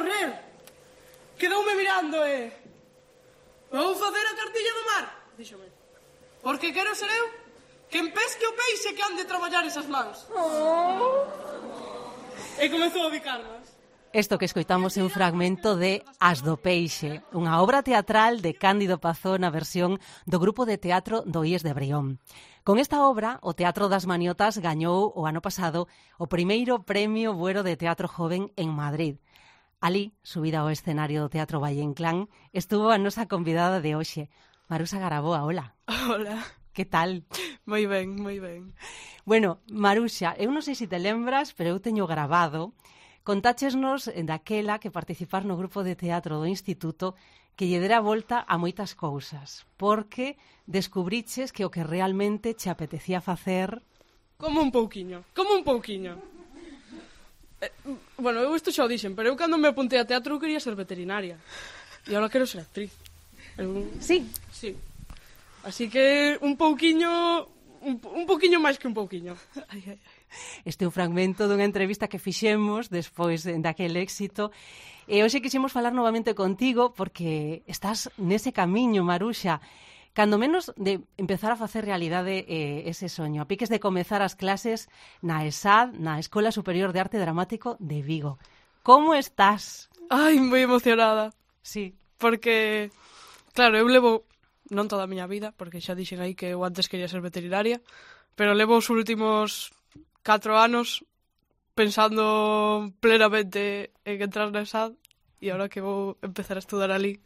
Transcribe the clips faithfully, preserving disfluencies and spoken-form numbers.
correr. Quedoume mirando e... Vou facer a cartilla do mar, díxome. Porque quero ser eu quen pesque o peixe que han de traballar esas mans. Oh. E comezou a bicarmas. Isto que escoitamos é un fragmento de As do Peixe, unha obra teatral de Cándido Pazó na versión do grupo de teatro do I E S de Brión. Con esta obra, o Teatro das Maniotas gañou o ano pasado o primeiro premio Buero de Teatro Joven en Madrid. Ali, subida ao escenario do Teatro Valle Inclán, estuvo a nosa convidada de hoxe, Maruxa Garaboa. Hola. Hola. Que tal? Moi ben, moi ben. Bueno, Maruxa, eu non sei se te lembras, pero eu teño grabado. Contáchesnos daquela que participar no grupo de teatro do Instituto que lle dera volta a moitas cousas, porque descubriches que o que realmente che apetecía facer... Como un pouquiño, como un pouquiño. Eh, bueno, eu isto xa o dixen, pero eu cando me apuntei a teatro eu quería ser veterinaria. E agora quero ser actriz. Eu... Sí? Sí. Así que un pouquiño... Un, un pouquiño máis que un pouquiño. Ai, ai, ai. Este é un fragmento dunha entrevista que fixemos despois daquel éxito. E hoxe quixemos falar novamente contigo porque estás nese camiño, Maruxa, cando menos de empezar a facer realidade eh, ese soño. A piques de comezar as clases na E S A D, na Escola Superior de Arte Dramático de Vigo. Como estás? Ai, moi emocionada. Sí. Porque, claro, eu levo, non toda a miña vida, porque xa dixen aí que eu antes quería ser veterinaria, pero levo os últimos catro anos pensando plenamente en entrar na E S A D e agora que vou empezar a estudar ali.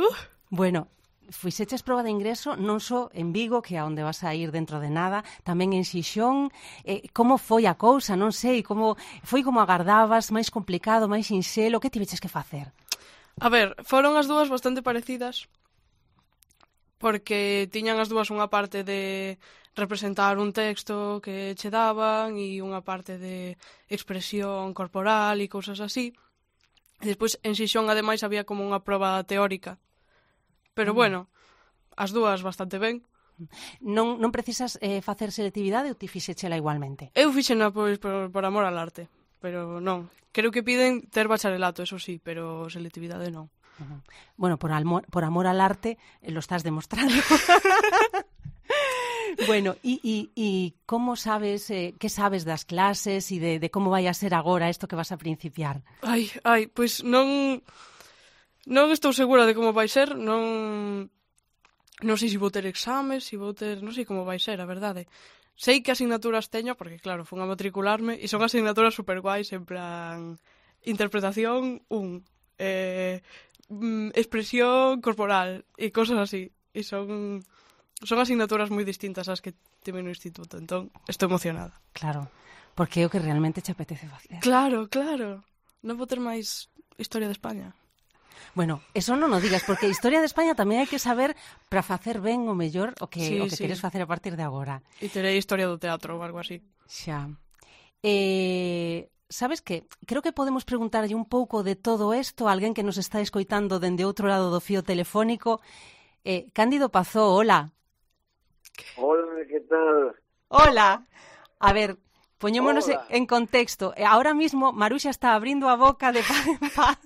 Uh. Bueno, fixeches proba de ingreso non só en Vigo, que é onde vas a ir dentro de nada, tamén en Xixón. Eh, como foi a cousa? Non sei, como foi como agardabas, máis complicado, máis sinxelo? Que tiveches que facer? A ver, foron as dúas bastante parecidas, porque tiñan as dúas unha parte de representar un texto que che daban e unha parte de expresión corporal e cousas así. E despois en Xixón ademais había como unha proba teórica. Pero mm. bueno, as dúas bastante ben. Non, non precisas eh, facer selectividade ou ti fixechela igualmente? Eu fixena pois por, por amor al arte, pero non. Creo que piden ter bacharelato, eso sí, pero selectividade non. Uh-huh. Bueno, por amor, por amor al arte eh, lo estás demostrando. Bueno, e, e, e como sabes, eh, que sabes das clases e de, de como vai a ser agora isto que vas a principiar? Ai, ai, pois non non estou segura de como vai ser, non non sei se vou ter exames, se vou ter, non sei como vai ser, a verdade. Sei que asignaturas teño, porque claro, fun a matricularme e son asignaturas super guais, en plan interpretación un, eh, expresión corporal e cosas así, e son Son asignaturas moi distintas ás que tive no instituto, entón estou emocionada. Claro, porque é o que realmente te apetece facer. Claro, claro. Non vou ter máis Historia de España. Bueno, eso non o digas, porque Historia de España tamén hai que saber para facer ben o mellor o que, sí, o que sí. queres facer a partir de agora. E terei Historia do teatro ou algo así. Xa. Eh... Sabes que? Creo que podemos preguntarlle un pouco de todo isto a alguén que nos está escoitando dende outro lado do fío telefónico. Eh, Cándido Pazó, hola. Hola, ¿qué tal? Hola. A ver, poñémonos Hola. en contexto. Ahora mismo Maruxa está abrindo a boca de paz en paz.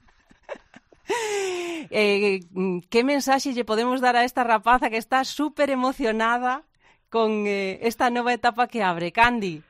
eh, que mensaxe lle podemos dar a esta rapaza que está súper emocionada con eh, esta nova etapa que abre? Candi.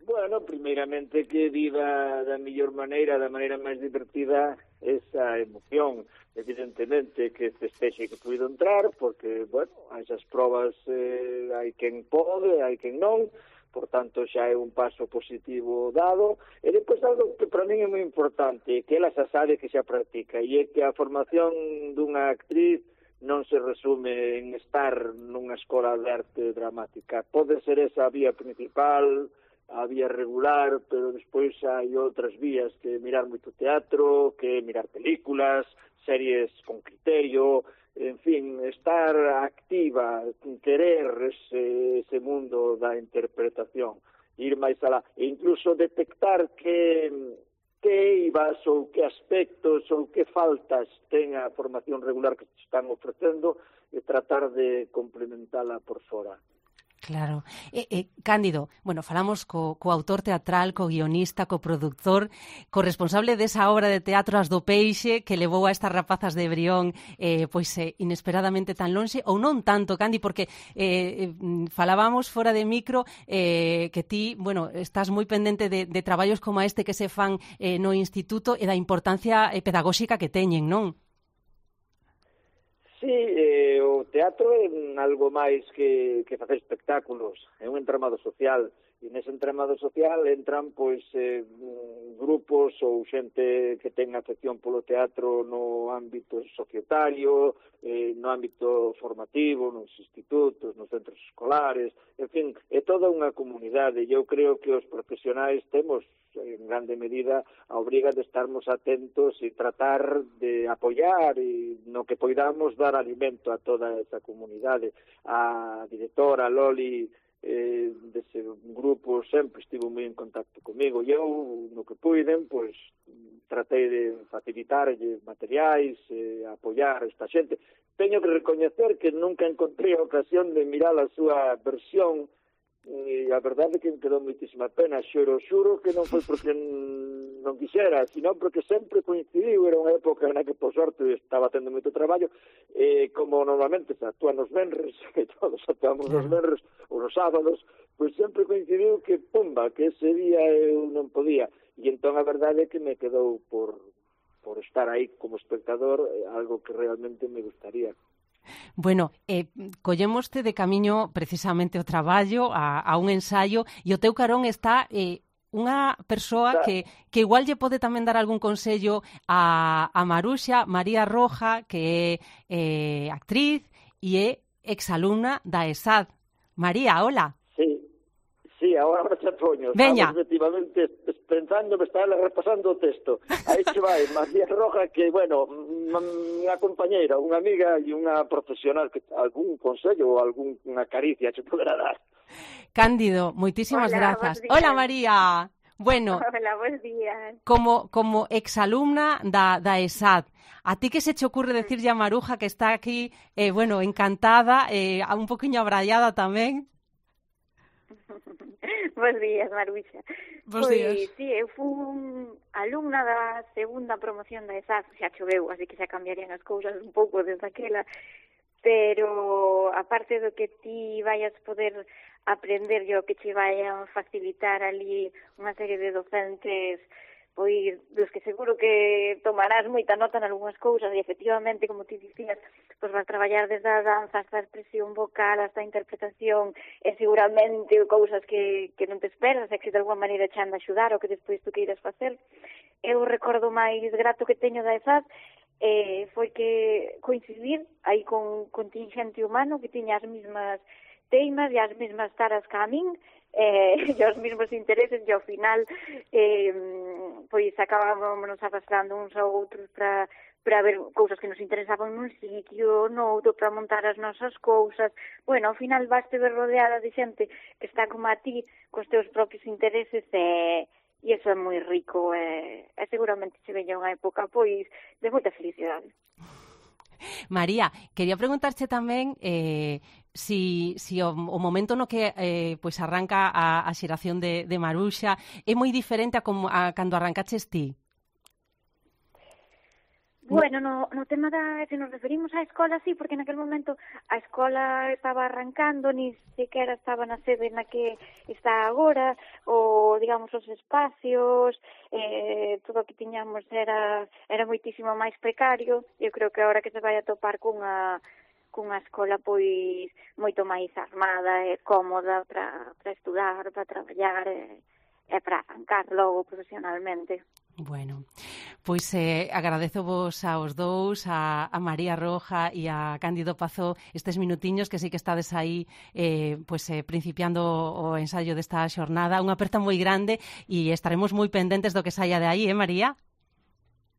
Bueno, primeiramente que viva da mellor maneira, da maneira máis divertida esa emoción. Evidentemente que festexe que puido entrar, porque, bueno, a esas probas eh, hai quen pode, hai quen non, por tanto xa é un paso positivo dado. E depois algo que para min é moi importante, que ela xa sabe que xa practica, e é que a formación dunha actriz non se resume en estar nunha escola de arte dramática. Pode ser esa a vía principal, a vía regular, pero despois hai outras vías, que mirar moito teatro, que mirar películas, series con criterio, en fin, estar activa, querer ese, ese mundo da interpretación, ir máis alá, e incluso detectar que, que eivas ou que aspectos ou que faltas ten a formación regular que te están ofrecendo e tratar de complementala por fora. Claro. Eh, eh, Cándido, bueno, falamos co, co autor teatral, co guionista, co productor, co responsable desa obra de teatro As do Peixe que levou a estas rapazas de Brión eh, pois eh, inesperadamente tan lonxe, ou non tanto, Candi, porque eh, falábamos fora de micro eh, que ti, bueno, estás moi pendente de, de traballos como este que se fan eh, no instituto e da importancia eh, pedagóxica que teñen, non? Sí, eh, o teatro é algo máis que, que facer espectáculos, é un entramado social, e nese entramado social entran pois eh, grupos ou xente que ten afección polo teatro no ámbito societario, eh, no ámbito formativo, nos institutos, nos centros escolares, en fin, é toda unha comunidade. Eu creo que os profesionais temos en grande medida a obriga de estarmos atentos e tratar de apoiar e no que poidamos dar alimento a toda esa comunidade. A directora Loli eh, dese grupo sempre estivo moi en contacto comigo e eu, no que puiden, pois tratei de facilitarlle materiais, eh, apoiar a esta xente. Teño que recoñecer que nunca encontrei a ocasión de mirar a súa versión e a verdade é que me quedou moitísima pena. Xuro, xuro que non foi porque non quixera, sino porque sempre coincidiu, era unha época na que, por sorte, estaba tendo moito traballo, e como normalmente se actúan nos venres, e todos actuamos nos venres, ou nos sábados, pois sempre coincidiu que, pumba, que ese día eu non podía, e entón a verdade é que me quedou por, por estar aí como espectador, algo que realmente me gustaría. Bueno, eh, collemoste de camiño precisamente o traballo a, a un ensaio e o teu carón está eh, unha persoa que, que igual lle pode tamén dar algún consello a, a Maruxa, María Roja, que é eh, actriz e é exalumna da E S A D. María, hola. Sí, sí, agora me chapoño. Veña. Estamos efectivamente pensando, me estaba repasando o texto. Aí che vai, María Roja, que, bueno, unha compañeira, unha amiga e unha profesional que algún consello ou algunha caricia che poderá dar. Cándido, moitísimas Hola, grazas. bons días. Hola, María. Bueno, Hola, buenos días. como, como exalumna da, da E S A D, a ti que se che ocurre decirlle a Maruja que está aquí, eh, bueno, encantada, eh, un poquinho abraiada tamén? Bos días, Maruxa. Bos pois, días. sí, eu fui alumna da segunda promoción da E S A D, xa choveu, así que xa cambiarían as cousas un pouco desde aquela, pero aparte do que ti vayas poder aprender e o que che vayan facilitar ali unha serie de docentes pois dos que seguro que tomarás moita nota en algunhas cousas e efectivamente, como ti dicías, pois vas traballar desde a danza hasta a expresión vocal, hasta a interpretación e seguramente cousas que, que non te esperas e que de alguma maneira che han de axudar o que despois tú queiras facer. Eu recordo máis grato que teño da E S A D eh, foi que coincidir aí con contingente humano que tiña as mesmas teimas e as mesmas taras que a min eh, e os mesmos intereses e ao final eh, pois acabámonos arrastrando uns a outros para para ver cousas que nos interesaban nun sitio, no outro, para montar as nosas cousas. Bueno, ao final vaste ver rodeada de xente que está como a ti, cos teus propios intereses e, e iso é moi rico e, e seguramente se veña unha época pois de moita felicidade. María, quería preguntarche tamén eh, si, si o, o momento no que eh, pois arranca a, a xeración de, de Maruxa é moi diferente a, como, a cando arrancaches ti. Bueno, no, no tema da, se nos referimos á escola, sí, porque naquele momento a escola estaba arrancando, ni sequera estaba na sede na que está agora, ou, digamos, os espacios, eh, todo o que tiñamos era, era moitísimo máis precario. Eu creo que agora que se vai a topar cunha, cunha escola, pois, moito máis armada e cómoda para para estudar, para traballar e, e para arrancar logo profesionalmente. Bueno, pois eh, agradezo vos aos dous, a, a María Roja e a Cándido Pazó, estes minutiños que sei que estades aí eh, pois, eh, principiando o ensaio desta xornada. Unha aperta moi grande e estaremos moi pendentes do que saia de aí, eh, María?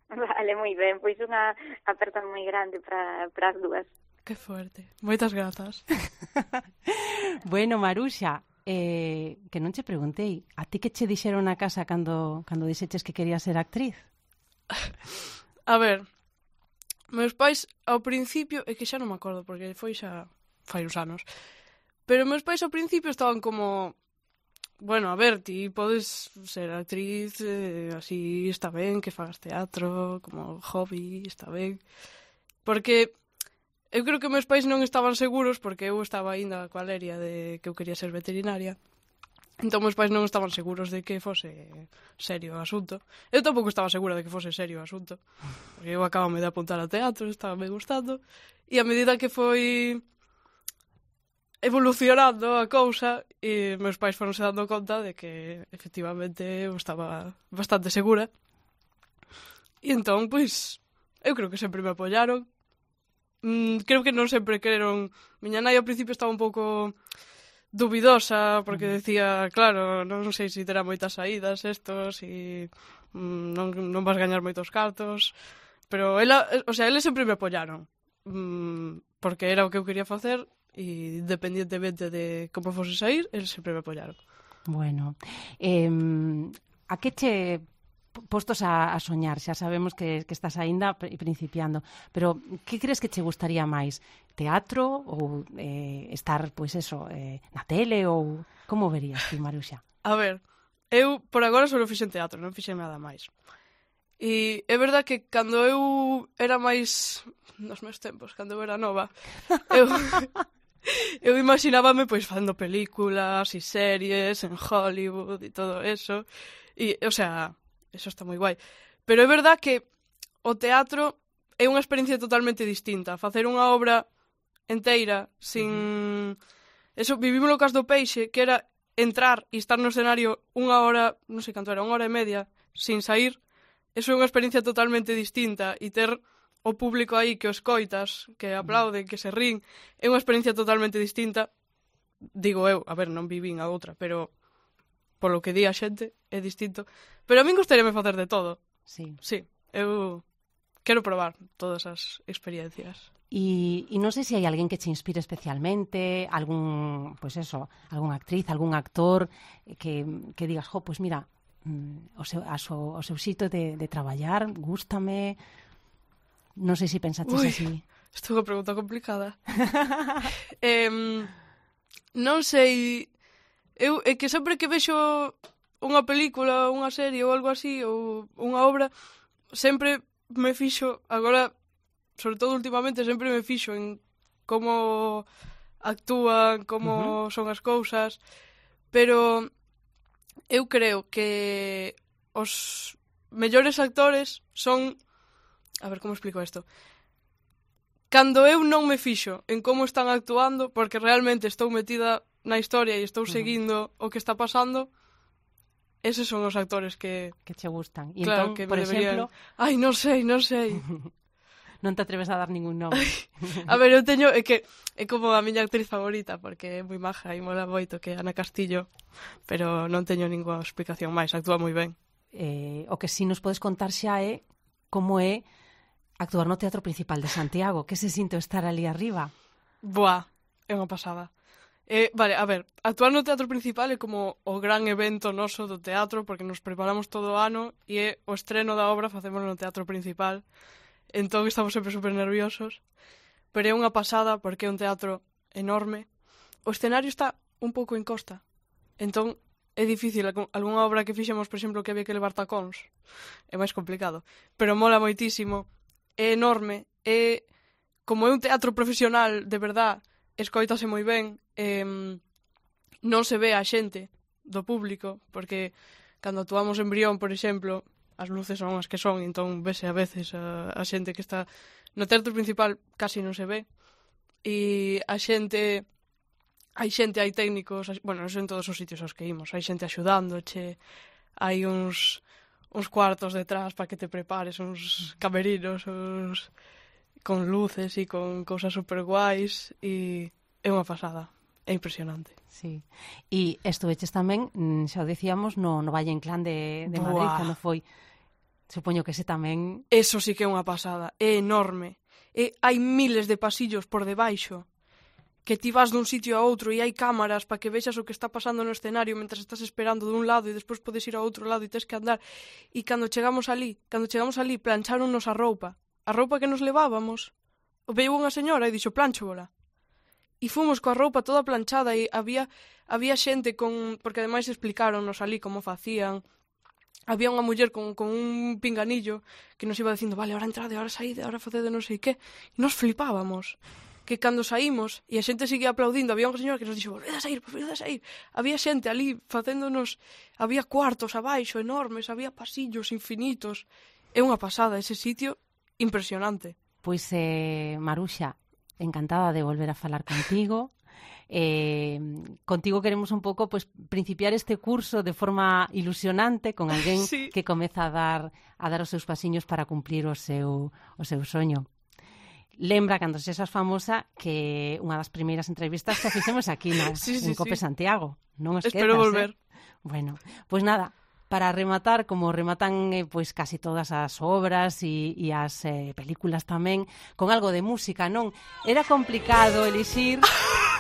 Vale, moi ben, pois unha aperta moi grande para as dúas. Que fuerte. Moitas grazas. Bueno, Maruxa, Eh, que non che preguntei, a ti que che dixeron na casa cando, cando dixeches que querías ser actriz? A ver, meus pais ao principio, é que xa non me acordo porque foi xa fai uns anos, Pero meus pais ao principio estaban como... Bueno, a ver, ti podes ser actriz, eh, así está ben, que fagas teatro, como hobby, está ben. Porque eu creo que meus pais non estaban seguros, porque eu estaba ainda coa leria de que eu quería ser veterinaria. Entón, meus pais non estaban seguros de que fose serio o asunto. Eu tampouco estaba segura de que fose serio o asunto. Porque eu acabame de apuntar a teatro, estaba me gustando. E a medida que foi evolucionando a cousa, e meus pais foronse dando conta de que, efectivamente, eu estaba bastante segura. E entón, pois, eu creo que sempre me apoyaron. Mm, creo que non sempre quereron... Miña nai ao principio estaba un pouco... dubidosa, porque decía, claro, non sei se terá moitas saídas estos e mm, non, non vas gañar moitos cartos, pero ela, o sea, eles sempre me apoyaron, mm, porque era o que eu quería facer e independientemente de como fose sair, eles sempre me apoyaron. Bueno, eh, a que che postos a, a soñar, xa sabemos que, que estás aínda principiando, pero que crees que che gustaría máis? Teatro ou eh, estar, pois eso, eh, na tele ou como verías ti, Maruxa? A ver, eu por agora só fixen teatro, non fixen nada máis. E é verdad que cando eu era máis nos meus tempos, cando eu era nova, eu eu imaginábame pois facendo películas e series en Hollywood e todo eso. E, o sea, eso está moi guai. Pero é verdad que o teatro é unha experiencia totalmente distinta. Facer unha obra enteira, sin... Eso, vivimos no Cas do Peixe, que era entrar e estar no escenario unha hora, non sei canto era, unha hora e media, sin sair. Eso é unha experiencia totalmente distinta. E ter o público aí que o escoitas, que aplauden, que se rin, é unha experiencia totalmente distinta. Digo eu, a ver, non vivín a outra, pero polo que di a xente é distinto. Pero a min gustaríame facer de todo. Sí. Sí, eu quero probar todas as experiencias. E, e non sei se hai alguén que che inspire especialmente, algún, pois pues eso, algún actriz, algún actor que, que digas, jo, pois pues mira, o seu, a so, o seu xito de, de traballar, gústame. Non sei se pensaches Ui, así. Isto é unha pregunta complicada. eh, non sei... Eu, é que sempre que vexo unha película, unha serie ou algo así, ou unha obra, sempre me fixo, agora, sobre todo últimamente, sempre me fixo en como actúan, como uh-huh. son as cousas, pero eu creo que os mellores actores son... A ver, como explico isto? Cando eu non me fixo en como están actuando, porque realmente estou metida na historia e estou seguindo uh-huh. o que está pasando, eses son os actores que... Que che gustan. E claro, entón, que por deberían... exemplo... Ai, non sei, non sei. Non te atreves a dar ningún nome. A ver, eu teño... É que é como a miña actriz favorita, porque é moi maja e mola moito, que é Ana Castillo, pero non teño ninguna explicación máis, actúa moi ben. Eh, o que si nos podes contar xa é como é actuar no Teatro Principal de Santiago. Que se sinto estar ali arriba? Buah, é unha pasada. Eh, vale, a ver, actuar no Teatro Principal é como o gran evento noso do teatro, porque nos preparamos todo o ano e é o estreno da obra facemos no Teatro Principal. Entón estamos sempre super nerviosos, pero é unha pasada porque é un teatro enorme. O escenario está un pouco en costa, entón é difícil. Algúnha obra que fixemos, por exemplo, que había que levar tacóns, é máis complicado, pero mola moitísimo. É enorme, é como é un teatro profesional de verdad, escoítase moi ben, eh, non se ve a xente do público, porque cando actuamos en Brión, por exemplo, as luces son as que son, entón vese a veces a, a xente que está no Teatro Principal, casi non se ve, e a xente, hai xente, hai técnicos, bueno, non son todos os sitios aos que imos, hai xente axudándoche, hai uns... uns cuartos detrás para que te prepares, uns camerinos, uns... con luces e con cousas super guais, e é unha pasada, é impresionante. Sí. E estuveches tamén, xa o decíamos, no, no Valle Inclán de, de Madrid, Buah. cando foi, supoño que ese tamén... Eso sí que é unha pasada, é enorme, e hai miles de pasillos por debaixo, que ti vas dun sitio a outro e hai cámaras para que vexas o que está pasando no escenario mentre estás esperando dun lado e despois podes ir a outro lado e tens que andar. E cando chegamos ali, cando chegamos ali, plancháronnos a roupa. A roupa que nos levábamos, veio unha señora e dixo, plánchola. e fomos coa roupa toda planchada e había había xente con... Porque ademais explicaronnos ali como facían. Había unha muller con, con un pinganillo que nos iba dicindo, vale, ahora entrade, ahora saíde, ahora facede non sei que. E nos flipábamos. Que cando saímos e a xente seguía aplaudindo, había unha señora que nos dixo, volvede a sair, volvede a sair. Había xente ali facéndonos, había cuartos abaixo enormes, había pasillos infinitos. É unha pasada ese sitio impresionante. Pois, eh, Maruxa, encantada de volver a falar contigo. Eh, contigo queremos un pouco pues, principiar este curso de forma ilusionante con alguén sí. que comeza a dar a dar os seus pasiños para cumplir o seu, o seu soño. Lembra, cando sexas famosa, que unha das primeiras entrevistas que fixemos aquí na, sí, sí, en Cope sí. Santiago. Non esquezas, espero volver. Eh? Bueno, pois pues nada, para rematar, como rematan eh, pois casi todas as obras e, e as eh, películas tamén, con algo de música, non? Era complicado elixir,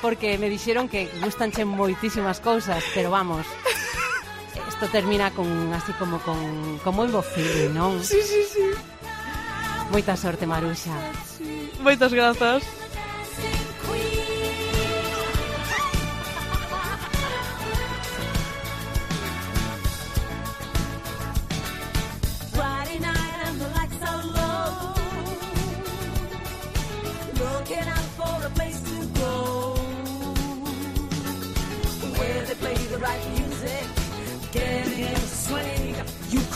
porque me dixeron que gustanche moitísimas cousas, pero vamos, isto termina con así como con, con moi bo feeling, non? Sí, sí, sí. Moita sorte, Maruxa. Sí. Moitas grazas.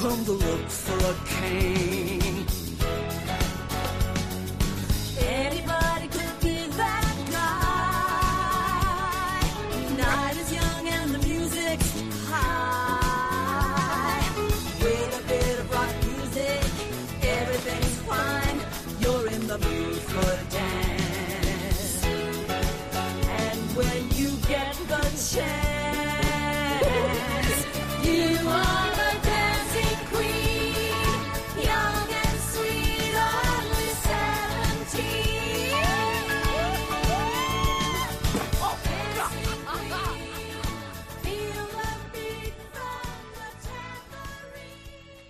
Come to look for a king.